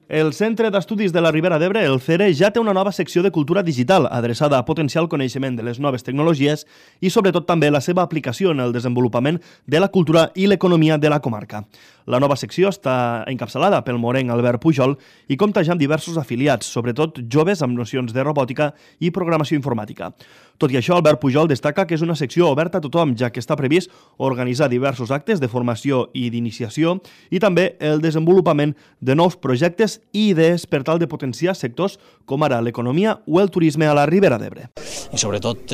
El Centre d'Estudis de la Ribera d'Ebre, el CERE, ja té una nova secció de cultura digital adreçada a potenciar el coneixement de les noves tecnologies i, sobretot, també la seva aplicació en el desenvolupament de la cultura i l'economia de la comarca. La nova secció està encapçalada pel morenc Albert Pujol i compta ja amb diversos afiliats, sobretot joves amb nocions de robòtica i programació informàtica. Tot i això, Albert Pujol destaca que és una secció oberta a tothom, ja que està previst organitzar diversos actes de formació i d'iniciació i també el desenvolupament de nous projectes i idees per tal de potenciar sectors com ara l'economia o el turisme a la Ribera d'Ebre. I sobretot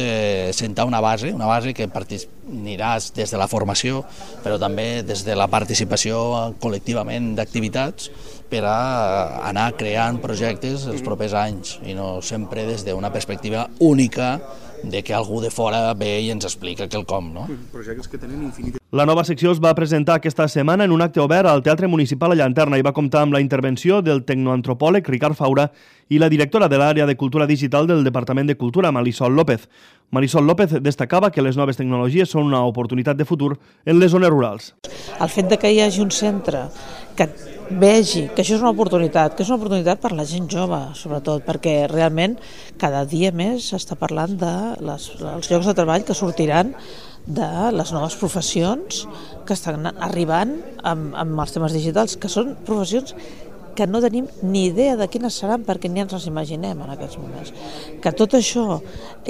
sentar una base que aniràs des de la formació, però també des de la participació col·lectivament d'activitats per a anar creant projectes els propers anys i no sempre des d'una perspectiva única de que algú de fora ve i ens explica quelcom, no? Projectes que tenen infinit. La nova secció es va presentar aquesta setmana en un acte obert al Teatre Municipal a Llanterna i va comptar amb la intervenció del tecnoantropòleg Ricard Faura i la directora de l'àrea de cultura digital del Departament de Cultura, Marisol López. Marisol López destacava que les noves tecnologies són una oportunitat de futur en les zones rurals. El fet de que hi hagi un centre que vegi que això és una oportunitat, per la gent jove, sobretot, perquè realment cada dia més s'està parlant dels llocs de treball que sortiran de les noves professions que estan arribant amb els temes digitals, que són professions que no tenim ni idea de quines seran perquè ni ens les imaginem en aquests moments. Que tot això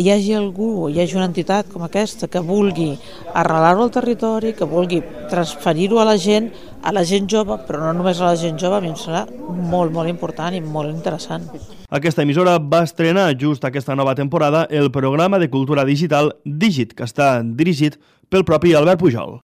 hi hagi algú, hi hagi una entitat com aquesta que vulgui arrelar-ho al territori, que vulgui transferir-ho a la gent jove, però no només a la gent jove, a mi em serà molt, molt important i molt interessant. Aquesta emissora va estrenar just aquesta nova temporada el programa de cultura digital Digit, que està dirigit pel propi Albert Pujol.